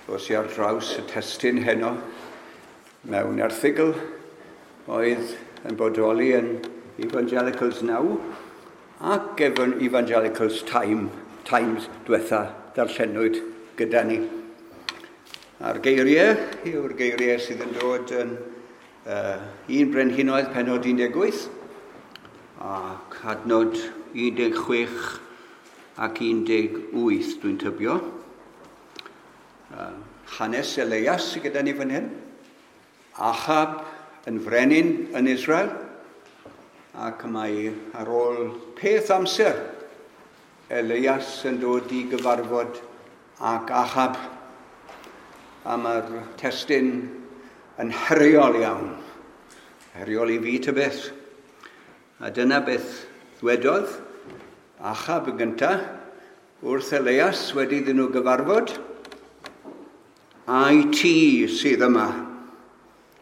Dos i ar draws y testun heno mewn erthygl oedd yn bodoli yn Evangelicals Now ac Evangelicals Times diwetha darllenwyd gyda ni. A'r geiriau yw'r geiriau sydd yn dod yn 1 Brenhinoedd penod 18 ac adnod 16 ac 18 dwi'n tybio. Hanes Elias sydd gyda ni fan hyn. Ahab yn frenin yn Israel, ac mae ar ôl peth amser Elias yn dod i gyfarfod ac Ahab, a mae'r testun yn heriol iawn. Heriol i fi ta beth. A dyna beth ddwedodd Ahab yn gyntaf wrth Elias wedi iddyn nhw gyfarfod. Ai ti sydd yma,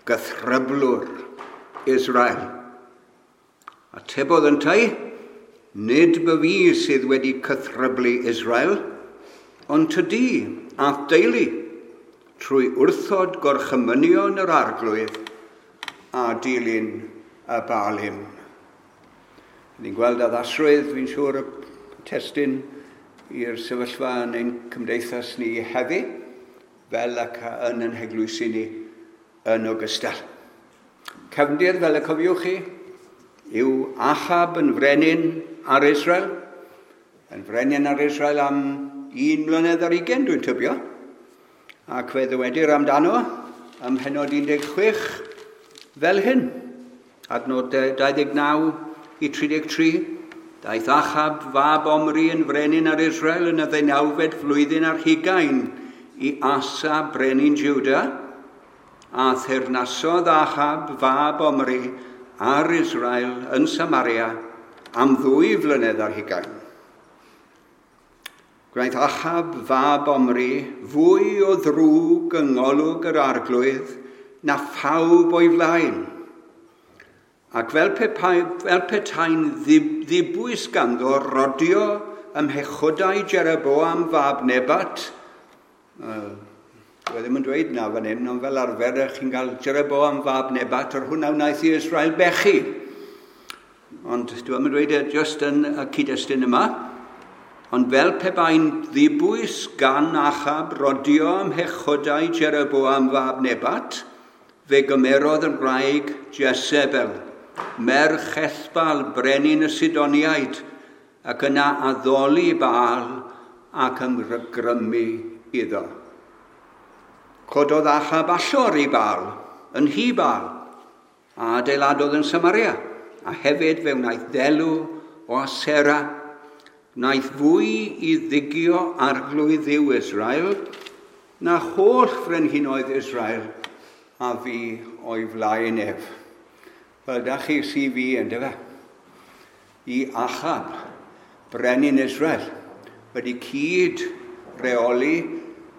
gythryblwr Israel? Atebodd yntau, nid by fi sydd wedi cythryblu Israel, ond tydi a'th deulu, trwy wrthod gorchymynion yr arglwydd a dilyn y Baalim. Ni'n gweld addasrwydd, fi'n siŵr, y testun i'r sefyllfa yn ein cymdeithas ni heddi, fel ac yn ein heglwysi ni yn ogystal. Cefndir, fel y cofiwch chi, yw Ahab yn frenin ar Israel, yn frenin ar Israel am 1 mlynedd ar 20, dwi'n tybio, ac fe ddywedir amdano ym mhennod 16 fel hyn, adnod 29 i 33, daeth Ahab fab Omri yn frenin ar Israel yn y 19fed flwyddyn ar hugain i Asa brenin Juda, a theyrnasodd Ahab fab Omri ar Israel yn Samaria am 2 flynedd ar hugain. Gwnaeth Ahab fab Omri fwy o ddrwg yng ngolwg yr arglwydd na phawb o'i flaen, ac fel petai'n ddibwys ganddo rodio ym mhechodau Jeroboam fab Nebat. Dwi ddim yn dweud na fan hyn, ond fel arfer chi'n cael Jeroboam fab Nebat, yr hwnna wnaeth i Israel bechu. Ond dwi ddim yn dweud e just yn y cyd-destun yma. Ond fel pe bai'n ddibwys gan Ahab rodio ym mhechodau Jeroboam fab Nebat, fe gymerodd yn wraig Jezebel, merch Ethbal, brenin y Sidoniaid, ac yna addoli Baal ac ymgrymu iddo. Cododd Ahab allor i Baal, yn nhŷ Baal, a adeiladodd yn Samaria, a hefyd fe wnaeth ddelw o Asera, wnaeth fwy i ddigio arglwydd Dduw Israel na holl frenhinoedd Israel a fu o'i flaen ef. Wel, da chi CV yndyfe? I Ahab, brenin Israel, wedi cyd reoli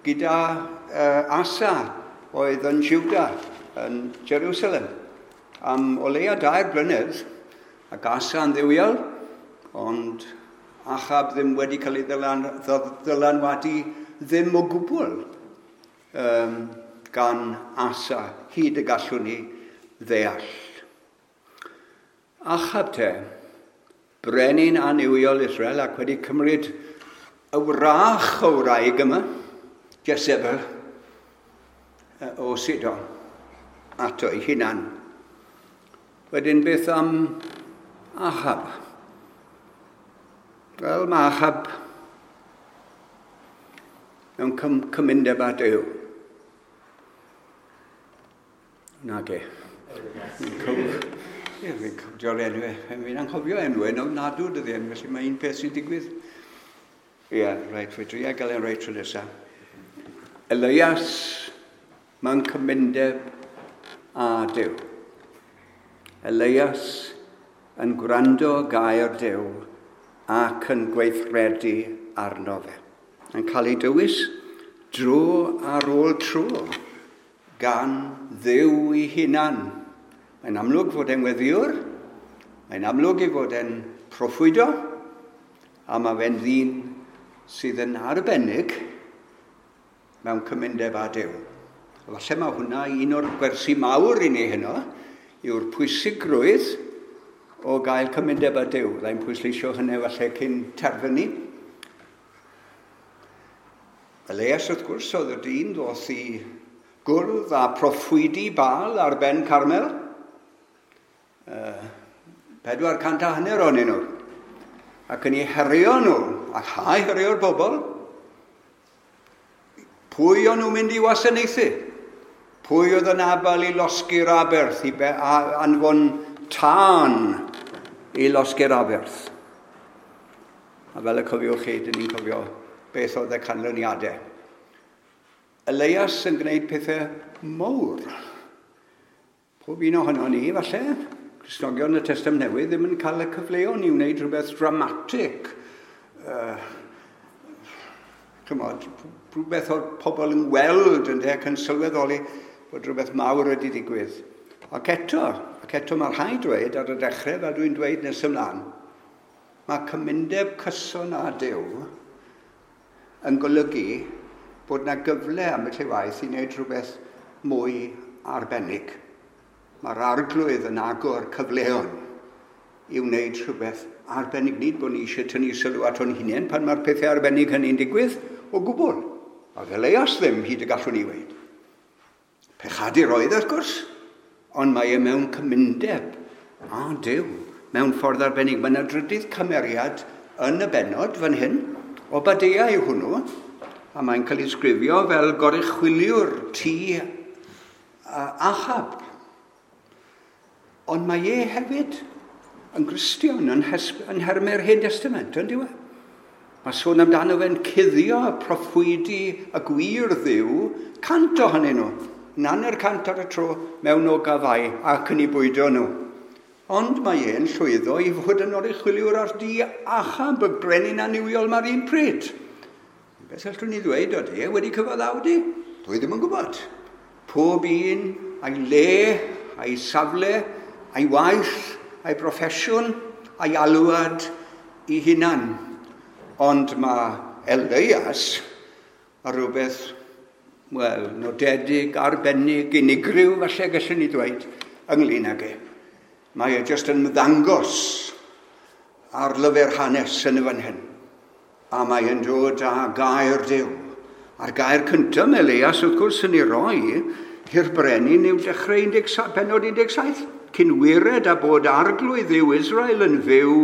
gyda Asa oedd yn Juda, yn Jerusalem, am o leia 2 blynedd, ac Asa yn dduwiol, ond Ahab ddim wedi cael ei ddylanwadu ddim o gwbl gan Asa, hyd y gallwn ni ddeall. Ahab te, brenin annuwiol Israel, ac wedi cymryd y wrach o wraig yma, Jezebel, o Sidon, ato ei hunan. Wedyn beth am Ahab? Wel, mae Ahab mewn cymundeb â Duw. Nage. Fi'n cofio'r enw, fi'n anghofio enw, yn ofnadw dydy enw, felly mae un peth sy'n digwydd. Ie, reit, fe dria gael e'n reit tro nesaf. Elias mewn cymundeb â Duw. Elias yn gwrando gair Duw ac yn gweithredu arno fe. Yn cael ei dywys dro ar ôl tro gan Dduw ei hunan. Mae'n amlwg fod e'n weddiwr, mae'n amlwg ei fod e'n proffwydo, a mae fe'n ddyn sydd yn arbennig mewn cymundeb â Duw. A falle mae hwnna un o'r gwersi mawr i ni heno, yw'r pwysigrwydd o gael cymundeb â Duw. Fydda pwysleisio hynny falle cyn terfynu. Elias, wrth gwrs, oedd y dyn ddoth i gwrdd â proffwydi Baal ar ben Carmel. 450 ohonyn nhw. Ac yn ei herio nhw, ac ha herio'r bobl, pwy o'n nhw'n mynd i wasanaethu? Pwy oedd yn abal i losgi'r aberth, i anfon tân i losgi'r aberth? A fel y cofiwch chi, dyn ni'n cofio beth oedd y canlyniadau. Elias yn gwneud pethau mawr. Pob un ohono ni, falle, Cristnogion y Testament Newydd ddim yn cael y cyfleon i wneud rhywbeth dramatig. Chymod, rhywbeth o'r pobl yn weld yn ac yn sylweddoli bod rhywbeth mawr wedi digwydd. Ac eto mae rhaid dweud ar y dechrau, fel dwi'n dweud nes ymlaen, mae cymundeb cyson â Duw yn golygu bod yna gyfle am y llewaith i wneud rhywbeth mwy arbennig. Mae'r arglwydd yn agor cyfleon i wneud rhywbeth arbennig. Nid bod ni eisiau tynnu sylw at o'n hunain pan mae'r pethau arbennig hynny'n digwydd o gwbl. Oedd Elias ddim hyd y gallwn ni weud. Pechadur oedd, wrth gwrs, ond mae e mewn cymundeb â Duw, mewn ffordd arbennig. Mae yna drydydd cymeriad yn y bennod fan hyn, Obadeia yw hwnnw, a mae'n cael ei sgrifio fel goruchwyliwr tŷ Ahab. Ond mae e hefyd yn Gristion, yn nhermau'r Hen Testament, yn dyw e? Mae sôn amdano fe'n cuddio proffwydi y gwir Dduw, 100 ohonyn nhw, 150 ar y tro mewn ogafau ac yn ei bwydo nhw. Ond mae e'n llwyddo i fod yn oruchwyliwr ar dŷ Ahab, y brenin annuwiol mae'r un pryd. Beth allwn ni ddweud o e wedi cyfaddawdu? Dwi ddim yn gwybod. Pob un a'i le, a'i safle, a'i waith, a'i broffesiwn, a'i alwad i hunan. Ond mae Elias a rhywbeth, wel, nodedig, arbennig, unigryw, falle gallwn ni ddweud, ynglyn ag e. Mae e jyst yn ymddangos ar lyfr hanes yn y fan hyn. A mae e'n dod â gair Duw. A'r gair cyntaf mae Elias, wrth gwrs, yn ei roi i'r brenin yw dechrau pennod 17. Cyn wired a bod arglwydd Dduw Israel yn fyw,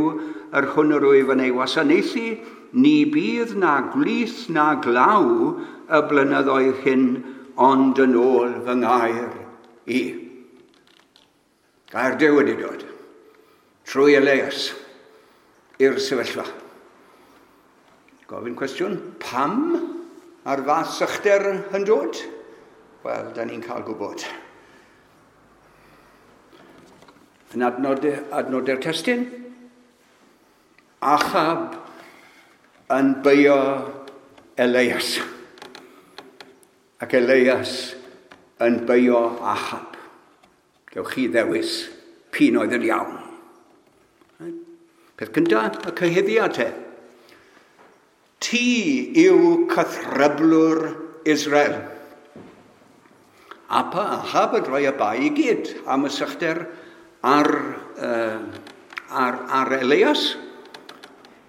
yr hwn yr wyf yn ei wasanaethu, ni bydd na gwlith na glaw y blynyddoedd hyn, ond yn ôl fy ngair i. Gair Duw wedi dod trwy Elias i'r sefyllfa. Gofyn cwestiwn, pam a'r fath sychder yn dod? Wel, da ni'n cael gwybod. Yn adnodau'r testun, Ahab yn beio Elias. Ac Elias yn beio Ahab. Gewch chi ddewis p'un oedd yn iawn. Peth cyntaf, y cyhuddiad te. Ti yw cythryblwr Israel. Ahab yn rhoi y bai i gyd am y sychder ar Elias.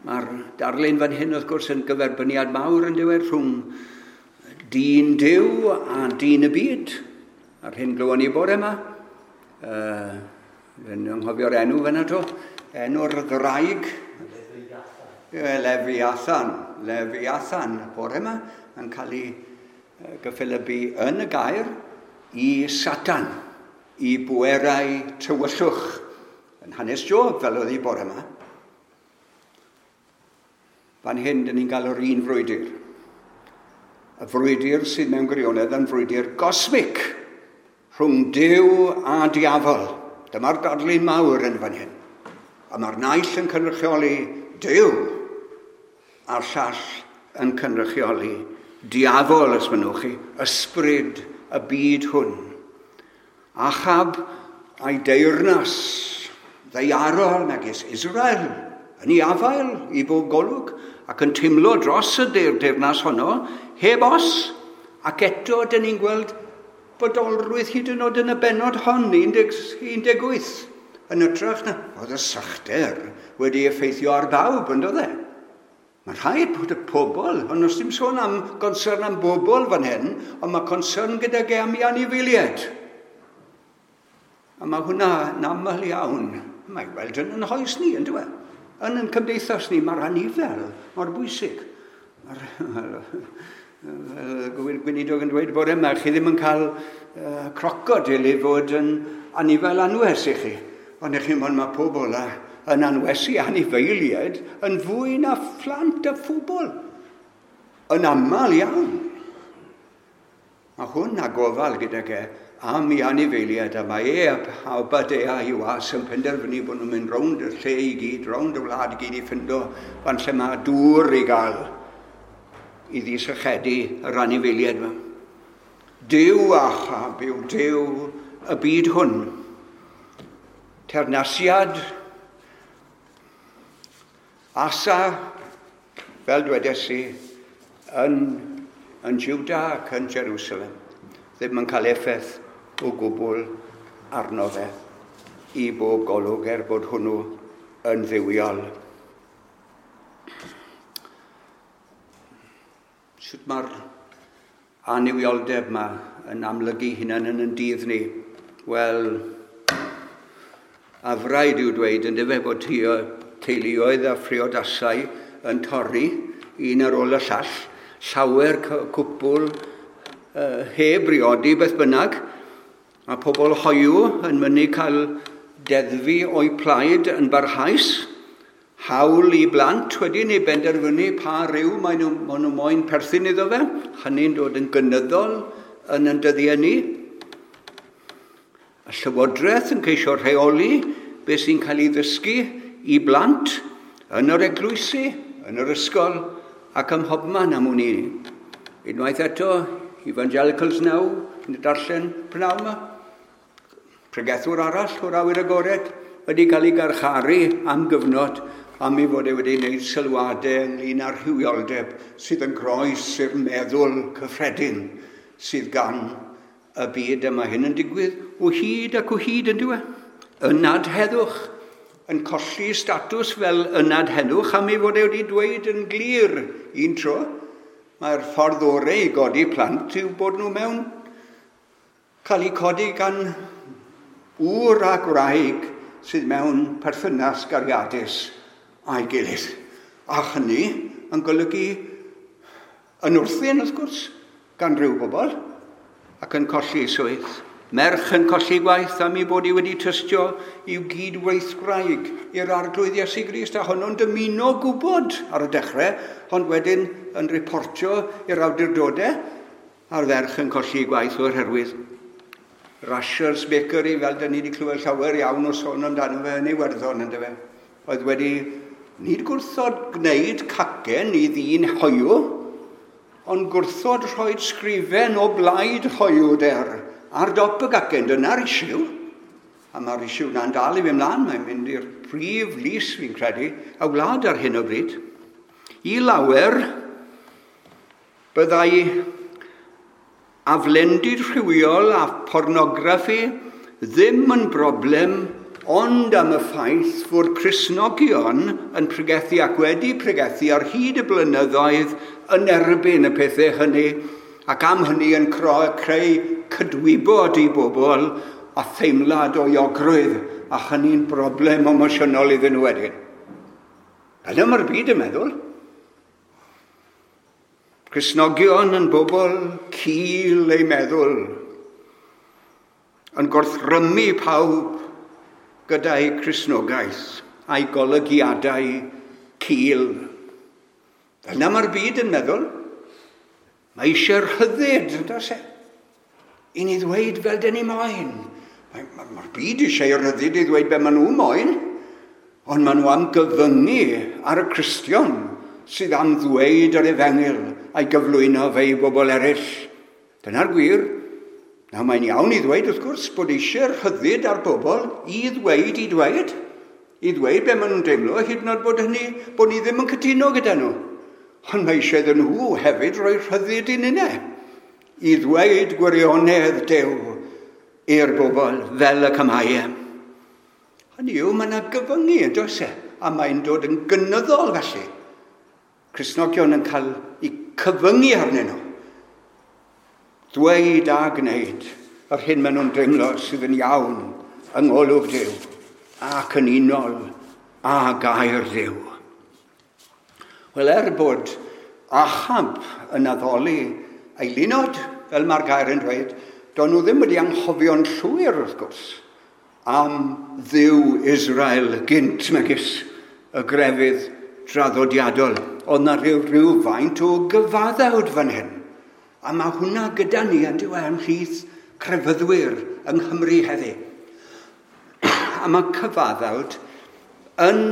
Mae'r darlun fan hyn, wrth gwrs, yn gyferbyniad mawr yn diwedd rhwng dyn Duw a dyn y byd. A'r hyn glywon ni bore yma. Yn anghofio'r enw fan ato. Enw'r ddraig. Lefiathan. Lefiathan bore yma yn cael ei gyffelybu yn y gair i Satan, i bwerau tywyllwch. Yn hanes Job, fel oedd hi bore yma. Fan hyn, dyn ni'n cael yr un frwydr. Y frwydr sydd mewn gwirionedd yn frwydr gosmig rhwng Duw a diafol. Dyma'r darlun mawr yn fan hyn. A mae'r naill yn cynrychioli Duw a'r llall yn cynrychioli diafol, os mynnwch chi, ysbryd y byd hwn. Ahab a'i deyrnas ddaearol megis Israel yn ei afael i bob golwg ac yn teimlo dros y deyrnas honno, heb os, Ac eto, dyn ni'n gweld bodolrwydd hyd yn oed yn y bennod hon, 18. Yn hytrach na, oedd y sychder wedi effeithio ar bawb, yn doedd e? Mae'n rhaid bod y pobl, ond os dim sôn am concern am bobl fan hyn, ond mae concern gydag e am ei anifeiliaid. A mae hwnna yn aml iawn. Mae weld yn yn hoes ni, yn dweud. Yn yn cymdeithas ni, mae'r anifel mor bwysig. Mae'r gweinidog yn dweud bore yma, chi ddim yn cael crocodil i fod yn anifel anwes i chi. Ond i chi, mae pobl yn anwesu anifeiliaid yn fwy na phlant a phobl. Yn aml iawn. Mae hwn a gofal gydag e am ei anifeiliaid, a mae e a Obadea i was yn penderfynu bod nhw'n mynd rownd y lle i gyd, rownd y wlad i gyd i ffindo fan lle mae dŵr i gael i ddisychedu yr anifeiliaid yma. Duw Achab yw Duw y byd hwn. Teyrnasiad Asa, fel dwedes i, yn Juda ac yn Jerusalem, ddim yn cael effaith o gwbl arno fe i bob golwg, er bod hwnnw yn dduwiol. Sut mae'r annuwioldeb yma yn amlygu hunan yn yn dydd ni? Wel, afraid yw dweud yn dyfe bod teuluoedd a phriodasau yn torri un ar ôl y llall, llawer cwpl heb briodi beth bynnag, a pobl hoyw yn mynnu cael deddfu o'u plaid yn barhaus, hawl i blant wedyn i benderfynu pa ryw maen nhw moyn perthyn iddo fe, hynny'n dod yn gynyddol yn yn dyddiau ni. Y llywodraeth yn ceisio rheoli beth sy'n cael ei ddysgu i blant yn yr eglwysi, yn yr ysgol ac ym mhobman am wn i. Unwaith eto, Evangelicals Now, yn darllen pnawn yma, pregethwr arall o'r awyr agored wedi cael ei garcharu am gyfnod am ei fod e wedi gwneud sylwadau ynglyn â'r rhywioldeb sydd yn groes i'r meddwl cyffredin sydd gan y byd yma. Hyn yn digwydd o hyd ac o hyd yn dyw e. Ynad heddwch yn colli statws fel ynad heddwch am ei fod e wedi dweud yn glir un tro. Mae'r ffordd orau i godi plant yw bod nhw mewn cael eu codi gan ŵr a gwraig sydd mewn perthynas gariadus a'i gilydd. A hynny yn golygu yn wrthyn, wrth gwrs, gan rhyw bobl, ac yn colli swydd. Merch yn colli gwaith am ei bod hi wedi tystio i'w gydweithwraig i'r Arglwydd Iesu Grist, a honno'n dymuno gwybod ar y dechrau, ond wedyn yn reportio i'r awdurdodau, a'r ferch yn colli gwaith o'r herwydd. Rashers Bakery, fel dyn ni wedi clywed llawer iawn o sôn amdano fe yn Iwerddon, yndyfe, oedd wedi nid gwrthod gwneud cacen i ddyn hoyw, ond gwrthod rhoi sgrifen o blaid hoywder ar dop y gacen. Dyna'r isiw. A mae'r isiw na'n dal i fynd mlaen. Mae'n mynd i'r prif lys, fi'n credu, y wlad ar hyn o bryd. I lawer, byddai aflendid rhywiol a pornograffi ddim yn broblem, ond am y ffaith fod Cristnogion yn pregethu ac wedi pregethu ar hyd y blynyddoedd yn erbyn y pethau hynny, ac am hynny yn creu cydwybod i bobl a theimlad o euogrwydd, a hynny'n broblem emosiynol iddyn nhw wedyn. Yna mae'r byd yn meddwl. Cristnogion yn bobl cul eu meddwl, yn gorthrymu pawb gyda'i Cristnogaeth a'i golygiadau cul. Yna mae'r byd yn meddwl. Mae eisiau rhyddid, does e? I ni ddweud fel dyn ni moyn. Mae'r byd eisiau rhyddid i ddweud be maen nhw moyn, ond maen nhw am gyfyngu ar y Cristion sydd am ddweud yr efengyl a'i gyflwyno fe i bobl eraill. Dyna'r gwir. Nawr mae'n iawn i ddweud, wrth gwrs, bod eisiau rhyddid ar bobl i ddweud, i ddweud be maen nhw'n deimlo, hyd yn oed bod hynny, bod ni ddim yn cytuno gyda nhw. Ond mae eisiau iddyn nhw hefyd roi rhyddid i ninne. i ddweud gwirionedd Duw i'r bobl fel y cymau. Hynny yw, mae yna gyfyngu yn does e, a mae'n dod yn gynyddol felly. Cristnogion yn cael eu cyfyngu arnyn nhw. Dweud a gwneud yr hyn maen nhw'n deimlo sydd yn iawn yng ngolwg Duw ac yn unol â gair Duw. Wel, er bod Ahab yn addoli eilunod, fel mae'r gair yn dweud, do'n nhw ddim wedi anghofio'n llwyr, wrth gwrs, am Dduw Israel gynt megis y grefydd draddodiadol. Oedd na rhywfaint o gyfaddawd fan hyn. A mae hwnna gyda ni yn diwedd ymhlith crefyddwyr yng Nghymru heddi. A mae cyfaddawd yn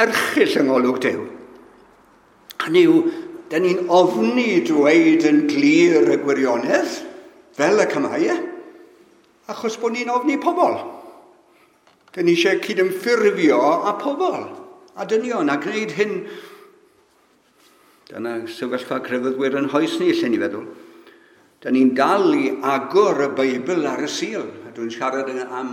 erchyll yng ngolwg Duw. Hynny yw, da ni'n ofni dweud yn glir y gwirionedd, fel y cymau, achos bod ni'n ofni pobl. Da ni eisiau cydymffurfio â pobl, a dynion, a gwneud hyn. Dyna sefyllfa crefyddwyr yn hoes ni, lle ni feddwl. Da ni'n dal i agor y Beibl ar y Sul. A dwi'n siarad am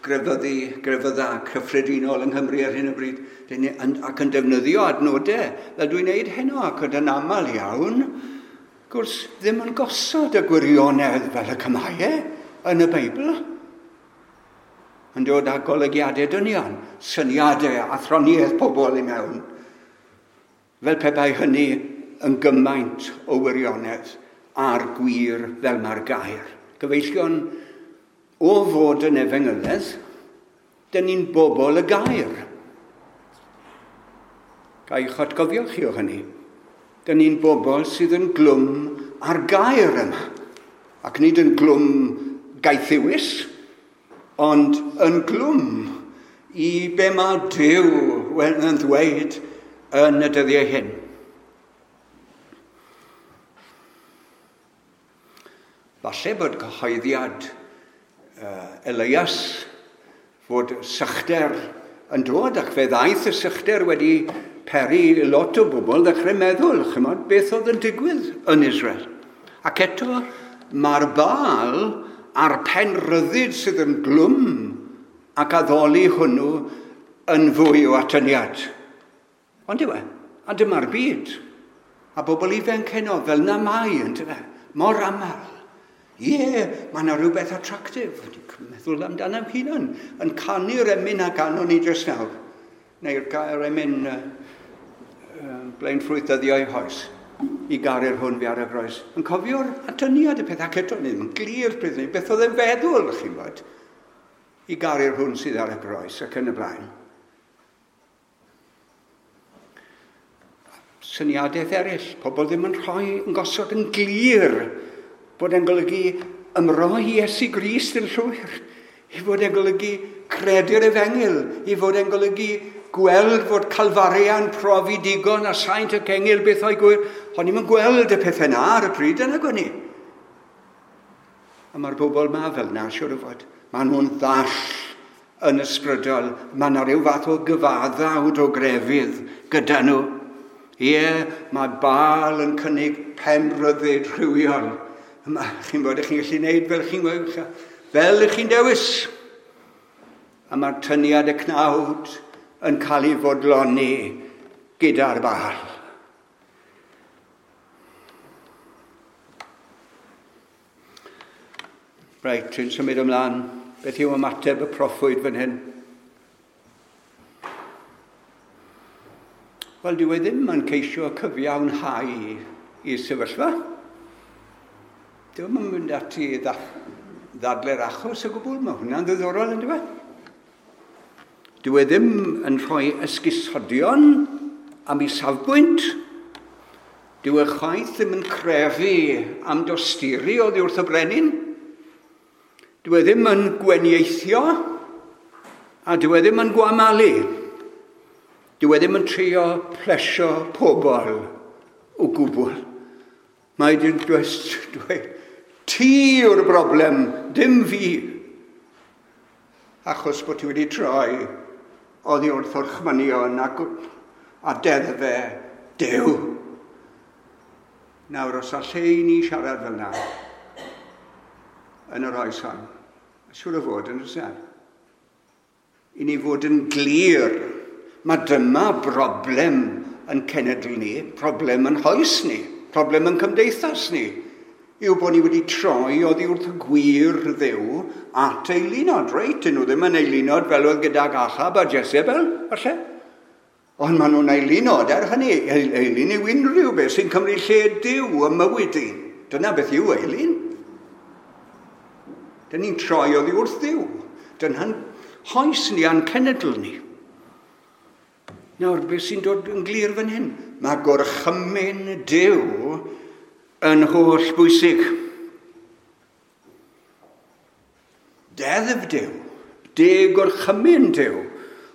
grefydda cyffredinol yng Nghymru ar hyn o bryd. Ac yn defnyddio adnodau, fel dwi'n neud heno, ac yn aml iawn, gwrs, ddim yn gosod y gwirionedd fel y cymau yn y Beibl. Yn dod â golygiadau dynion, syniadau, athroniaeth pobl i mewn. Fel pe bai hynny yn gymaint o wirionedd a'r gwir fel mae'r gair. Gyfeillion, o fod yn efengyledd, dyn ni'n bobl y gair. Ga i'ch atgofio chi o hynny. Dyn ni'n bobl sydd yn glwm ar gair yma. Ac nid yn glwm gaethiwus, ond yn glwm i be mae Duw yn ddweud yn y dyddiau hyn. Falle bod cyhoeddiad Elias fod sychder yn dod, ac fe ddaeth y sychder wedi peri lot o bobl ddechrau meddwl, chymod, beth oedd yn digwydd yn Israel. Ac eto, mae'r Baal a'r penrhyddid sydd yn glwm ac addoli hwnnw yn fwy o atyniad. Ond yw e, a dyma'r byd. A bobl ifanc heno fel na mai, yn dyfe, mor aml. Ie, mae yna rhywbeth attractive. Dwi'n meddwl amdano hunan, yn canu'r emyn a ganon ni jyst nawr. Neu'r gair emyn blaen ffrwyth dyddiau hoes, i garu'r hwn fi ar y groes. Yn cofio'r atyniad y peth ac eto ni ddim yn glir pryd ni, beth oedd e'n feddwl, chi'n bod, i garu'r hwn sydd ar y groes ac yn y blaen. Syniadaeth eraill, pobl ddim yn rhoi, yn gosod yn glir bod e'n golygu ymroi Iesu Grist yn llwyr, i fod e'n golygu credu'r efengyl, i fod e'n golygu gweld fod Calfaria'n profi digon a saint ac engyl beth o'i gwir. O'n i'm yn gweld y pethau na ar y pryd yna gwni. A mae'r bobl ma fel na, siwr o fod. Maen nhw'n ddall yn ysbrydol. Mae yna rhyw fath o gyfaddawd o grefydd gyda nhw. Ie, mae Baal yn cynnig penrhyddid rhywiol. Chi'n bod, chi'n gallu gwneud fel chi'n gwneud, fel ych chi'n dewis. A mae'r tyniad y cnawd yn cael ei fodloni gyda'r Baal. Reit, dwi'n symud ymlaen. Beth yw ymateb y proffwyd fan hyn? Wel, dyw e ddim yn ceisio cyfiawnhau i sefyllfa. Dyw e'n mynd ati i ddadle'r achos o gwbl. Mae hwnna'n ddiddorol, yn dyw e? Dyw e ddim yn rhoi esgusodion am ei safbwynt. Dyw e chwaith ddim yn crefu am dosturi oddi wrth y brenin. Dyw e ddim yn gwenieithio, a dyw e ddim yn gwamalu. Dyw e ddim yn trio plesio pobl o gwbl. Mae dyn dweud, ti yw'r broblem, dim fi. Achos bod ti wedi troi oddi wrth orchmynion a deddfe Duw. Nawr, os allai ni siarad fel na, yn yr oes hon? Siŵr o fod yn rhywbeth. I ni fod yn glir, mae dyma broblem yn cenedl ni, problem yn hoes ni, problem yn cymdeithas ni, yw bod ni wedi troi oddi wrth y gwir Dduw at eilunod. Reit, dyn nhw ddim yn eilunod fel oedd gydag Ahab a Jezebel, falle. Ond maen nhw'n eilunod er hynny. Eilun yw unrhyw beth sy'n cymryd lle Duw ym mywyd un. Dyna beth yw eilun. Dyn ni'n troi oddi wrth Dduw. Dyna'n hoes ni a'n cenedl ni. Nawr, beth sy'n dod yn glir fan hyn? Mae gorchymyn Duw yn holl bwysig. Deddf Duw, deg gorchymyn Duw.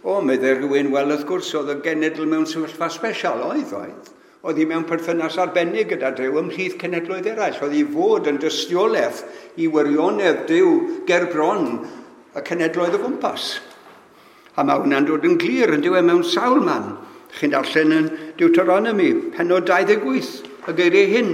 O, meddai rhywun, wel, wrth gwrs, oedd y genedl mewn sefyllfa special, oedd, oedd. Oedd hi mewn perthynas arbennig gyda Duw ymhlith cenedloedd eraill. Oedd hi fod yn dystiolaeth i wirionedd Duw ger bron y cenedloedd o gwmpas. A mae hwnna'n dod yn glir yn dyw e mewn sawl man. Chi'n darllen yn Deuteronomy, pennod 28, y geiriau hyn.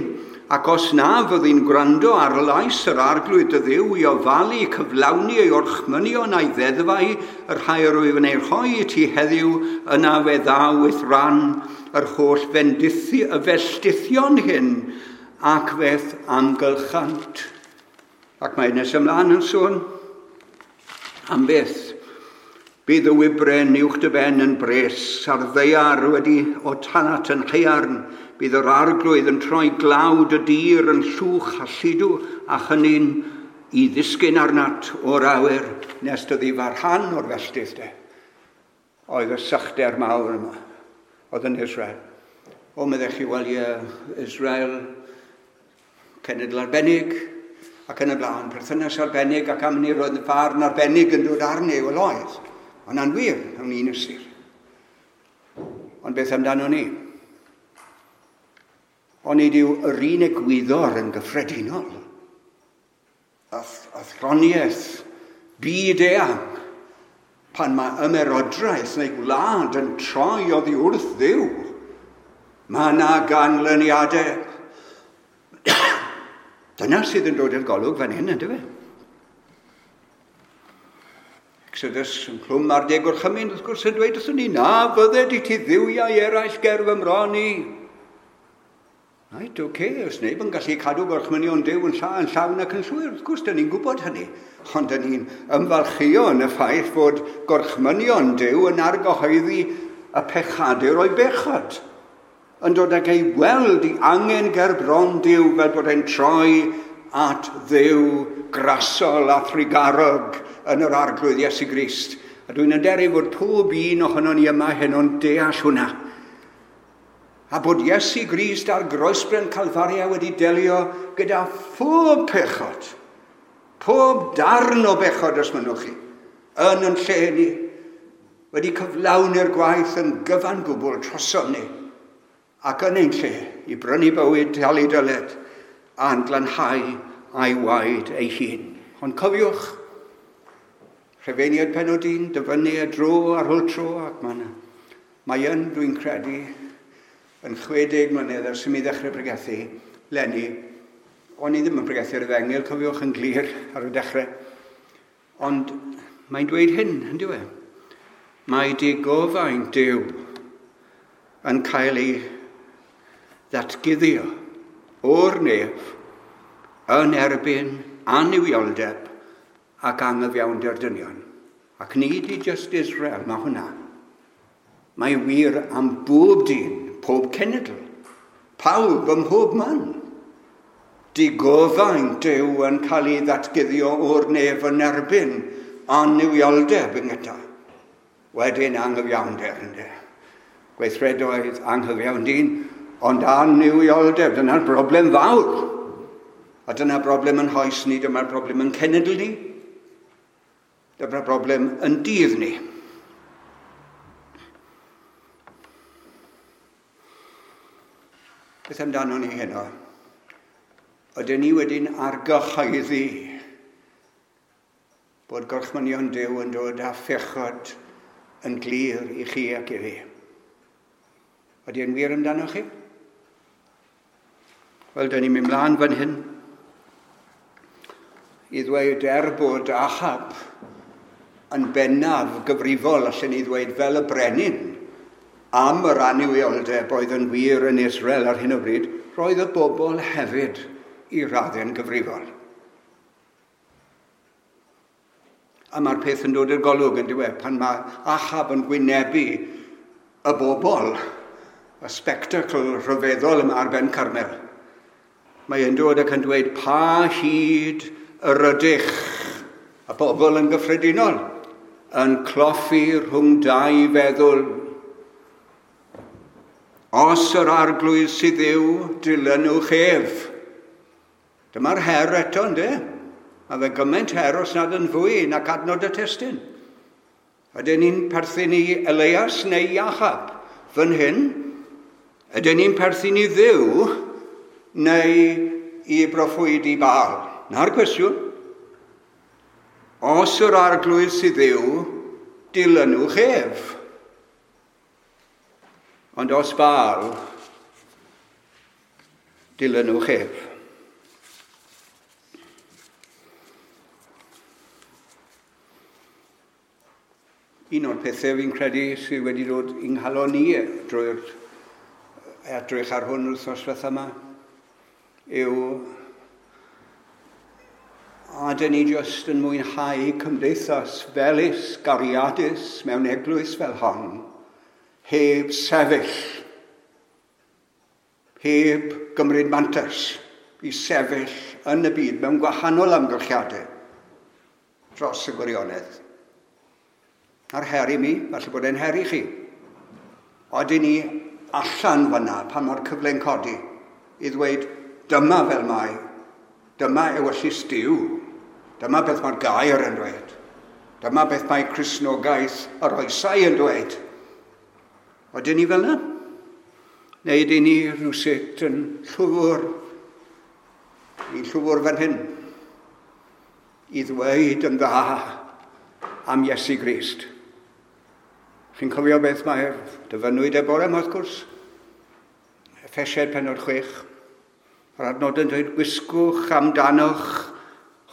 Ac os na fyddi'n gwrando ar lais yr arglwydd dy Dduw i ofalu cyflawni ei orchmynion a'i ddeddfau, y rhai yr wyf yn ei rhoi i ti heddiw, yna fe ddaw i'th ran yr holl fendithi, y felldithion hyn, ac fe'th amgylchant. Ac mae nes ymlaen yn sôn am beth. Bydd y wybren uwch dy ben yn bres, a'r ddaear wedi o tanat yn haearn. Bydd yr arglwydd yn troi glawd y dir yn llwch a lludw a chynnin i ddisgyn arnat o'r awyr nes dy ddifar rhan o'r felltith de. Oedd y sychder mawr yma, oedd yn Israel. O, meddech chi, wel ie, Israel, cenedl arbennig, ac yn y blaen, perthynas arbennig, ac am hynny roedd y farn arbennig yn dod arni, wel oedd. Ond na'n wir, mewn un ystyr. Ond beth amdano ni? Ond nid yw yr un egwyddor yn gyffredinol. Athroniaeth byd eang, pan mae ymerodraeth neu gwlad yn troi oddi wrth Dduw, mae yna ganlyniadau. Dyna sydd yn dod i'r golwg fan hyn, ynddo fe? Exodus yn clwm ar deg gorchymyn, wrth gwrs, yn dweud wrthyn ni, na fydded i ti dduwiau eraill ger fy mron i. Right, oce, okay, os neb yn gallu cadw gorchmynion Duw yn llawn ac yn llwyr, wrth gwrs, dyn ni'n gwybod hynny. Ond dyn ni'n ymfalchio yn y ffaith fod gorchmynion Duw yn argyhoeddi y pechadur o'i bechod. Yn dod ag ei weld i angen ger bron Duw fel bod e'n troi at Dduw grasol a thrugarog yn yr arglwydd Iesu Grist. A dwi'n hyderu fod pob un ohonon ni yma heno'n deall hwnna. A bod Iesu Grist ar groesbren Calfaria wedi delio gyda phob pechod, pob darn o bechod os mynnwch chi, yn yn lle ni, wedi cyflawni'r gwaith yn gyfan gwbl trosom ni, ac yn ein lle i brynu bywyd, talu dyled, a'n glanhau a'i waed ei hun. Ond cofiwch, Rhufeiniaid pennod 1, dyfynnu y dro ar ôl tro, ac mae yn, dwi'n credu, yn 60 mlynedd ers i mi ddechrau pregethu, leni, o'n i ddim yn pregethu'r efengyl, cofiwch yn glir ar y dechrau. Ond mae'n dweud hyn, yn dyw e? Mae digofaint Duw yn cael ei ddatguddio o'r nef yn erbyn annuwioldeb ac anghyfiawnder dynion. Ac nid i just Israel, mae hwnna. Mae wir am bob dyn, pob cenedl, pawb ym mhob man. Digofaint Duw yn cael ei ddatguddio o'r nef yn erbyn annuwioldeb yn gyda. Wedyn anghyfiawnder, ynddo. Gweithredoedd anghyfiawn dyn, ond annuwioldeb, dyna'r broblem fawr. A dyna broblem yn hoes ni, dyma'r broblem yn cenedl ni. Dyma'r broblem yn dydd ni. Beth amdano ni heno? Ydyn ni wedi'n argyhoeddi bod gorchmynion Duw yn dod â phechod yn glir i chi ac i fi? Ydy e'n wir amdano chi? Wel, dyn ni'n mynd mlaen fan hyn. I ddweud er bod Ahab yn bennaf gyfrifol, allan ni ddweud fel y brenin, am yr annuwioldeb oedd yn wir yn Israel ar hyn o bryd, roedd y bobl hefyd i raddau'n gyfrifol. A mae'r peth yn dod i'r golwg yn diwedd pan mae Ahab yn gwynebu y bobl, y spectacl rhyfeddol yma ar ben Carmel. Mae e'n dod ac yn dweud pa hyd yr ydych, y bobl yn gyffredinol, yn cloffi rhwng dau feddwl. Os yr arglwydd sydd yw, dilynwch ef. Dyma'r her eto, ynddo? Mae fe gymaint her os nad yn fwy nac adnod y testun. Ydyn ni'n perthyn i Elias neu i Ahab? Fan hyn, ydyn ni'n perthyn i Dduw neu i broffwyd i Baal? Na'r cwestiwn. Os yr arglwydd sydd Dduw, dilynwch ef. Ond os Baal, dilynwch ef. Un o'r pethau fi'n credu sydd wedi dod i'n nghalon ni drwy'r edrych ar hwn wythnos diwetha yma yw a dyn ni jyst yn mwynhau cymdeithas felys, gariadus mewn eglwys fel hon, heb sefyll, heb gymryd mantais i sefyll yn y byd mewn gwahanol amgylchiadau dros y gwirionedd. A'r her i mi, falle bod e'n her i chi. Oedden ni allan fyna pan mae'r cyfle'n codi i ddweud dyma fel mae, dyma ewyllys Duw, dyma beth mae'r gair yn dweud, dyma beth mae Cristnogaeth yr oesau yn dweud. Oedden ni fel yna? Neu ydyn ni rhywsut yn llwfr, ni'n llwfr fan hyn, i ddweud yn dda am Iesu Grist. Chi'n cofio beth mae'r dyfynwyd e bore yma, wrth gwrs? Effesiaid pennod 6. Yr adnod yn dweud, gwisgwch amdanoch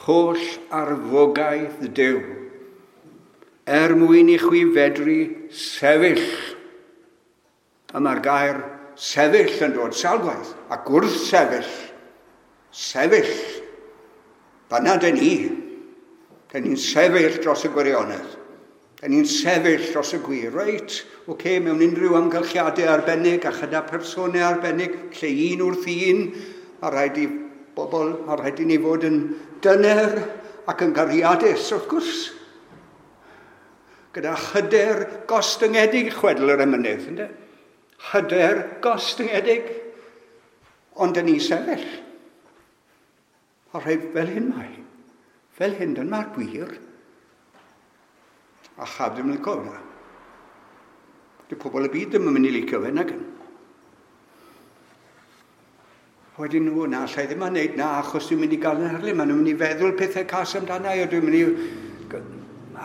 holl arfogaeth Duw, er mwyn i chwi fedru sefyll. A mae'r gair sefyll yn dod sawl gwaith, ac wrth sefyll, sefyll, fanna dyn ni. Dyn ni'n sefyll dros y gwirionedd. Dyn ni'n sefyll dros y gwir. Reit, oce, okay, mewn unrhyw amgylchiadau arbennig a chyda personau arbennig, lle un wrth un, a rhaid i bobl, a rhaid i ni fod yn dyner ac yn gariadus, wrth gwrs. Gyda hyder gostyngedig, chwedl yr emynydd, ynddo? Hyder gostyngedig, ond dyn ni'n sefyll. A rhaid fel hyn mae. Fel hyn, dyma'r gwir. A chaf ddim yn licio hwnna. Dyw pobl y byd ddim yn mynd i licio fe, nag yn. Wedyn nhw, na, allai ddim yn neud na, achos dwi'n mynd i gael yn erlyn. Maen nhw'n mynd i feddwl pethau cas amdana i, a dwi'n mynd i...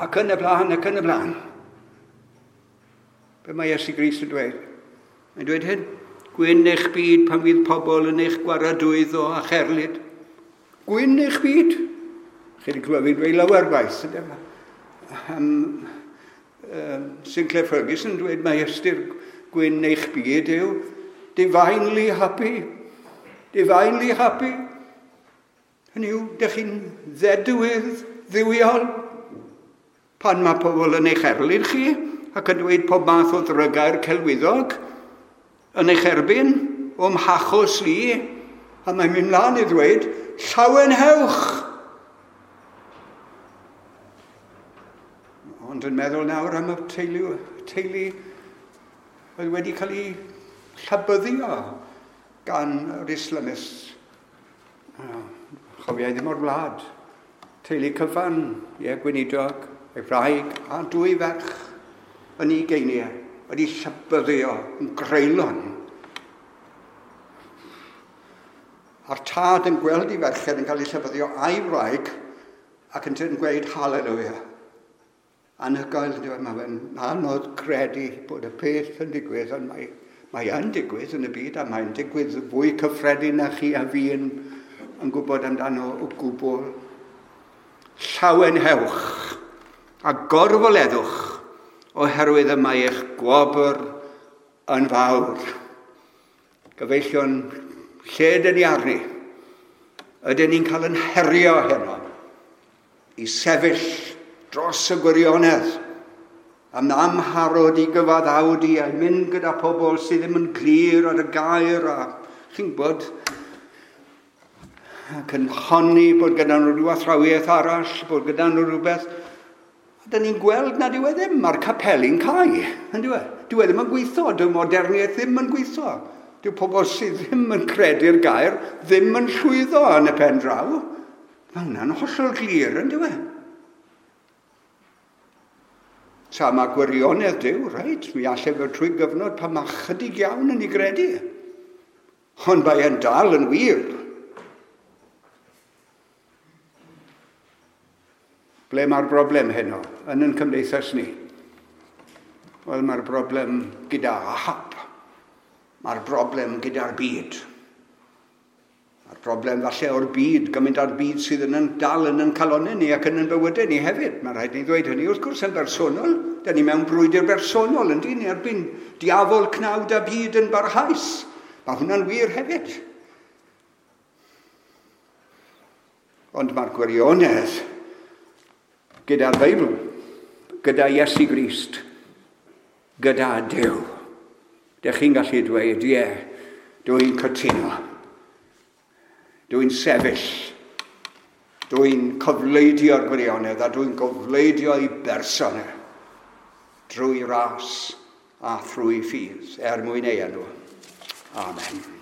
Ac yn y blaen, ac yn y blaen. Be mae Iesu Grist yn dweud? Mae'n dweud hyn. Gwyn eich byd pan fydd pobl yn eich gwaradwyddo a cherlid. Gwyn eich byd. Chi wedi clywed fi'n dweud lawer gwaith. Sinclair Ferguson yn dweud mae ystyr gwyn eich byd yw divinely happy. Divinely happy. Hynny yw, dych chi'n ddedwydd dduwiol pan mae pobl yn eich erlyn chi ac yn dweud pob math o ddrygau'r celwyddog yn eich erbyn o'm hachos li, a mae'n mynd mlaen i ddweud llawenhewch. Ond yn meddwl nawr am y teulu oedd wedi cael ei llabyddio gan yr Islamists. Chofiai ddim o'r wlad. Teulu cyfan, ie, gweinidog, ei wraig a dwy ferch yn ei geiniau wedi llabyddio yn greulon. A'r tad yn gweld ei ferched yn cael ei llabyddio a'i wraig ac yn gweud hallelujah. Anhygoel, mae fe'n anodd credu bod y peth yn digwydd, ond mae yn digwydd yn y byd, a mae'n digwydd fwy cyffredin na chi a fi yn gwybod amdano o gwbl. Llawenhewch a gorfoleddwch, oherwydd y mae eich gwobr yn fawr. Gyfeillion, lle dyn ni arni? Ydyn ni'n cael yn herio heno i sefyll dros y gwirionedd am amharod i gyfaddawdu a mynd gyda pobl sydd ddim yn glir ar y gair a chi'n gwybod, ac yn honni bod gyda nhw rhyw athrawiaeth arall, bod gyda nhw rhywbeth. A dyn ni'n gweld nad yw e ddim, mae'r capeli'n cau, yn dyw e? Dyw e ddim yn gweithio, dyw moderniaeth ddim yn gweithio. Dyw pobl sydd ddim yn credu'r gair ddim yn llwyddo yn y pen draw. Mae hwnna'n hollol glir, yn dyw e? Tra mae gwirionedd Duw, reit, mi allai fod trwy gyfnod pan mae chydig iawn yn ei gredu. Ond mae e'n dal yn wir. Ble mae'r broblem heno yn ein cymdeithas ni? Wel, mae'r broblem gyda Ahab. Mae'r broblem gyda'r byd. Mae'r broblem falle o'r byd, gymaint o'r byd sydd yn dal yn ein calonnau ni ac yn ein bywydau ni hefyd. Mae rhaid ni ddweud hynny wrth gwrs yn bersonol. Da ni mewn brwydr bersonol yn dyn ni erbyn diafol, cnawd a byd yn barhaus. Mae hwnna'n wir hefyd. Ond mae'r gwirionedd gyda'r Beibl, gyda Iesu Grist, gyda Duw. Dych chi'n gallu dweud, ie, dwi'n cytuno. Dwi'n sefyll. Dwi'n cofleidio'r gwirionedd a dwi'n cofleidio i berson e drwy ras a thrwy ffydd er mwyn ei enw. Amen.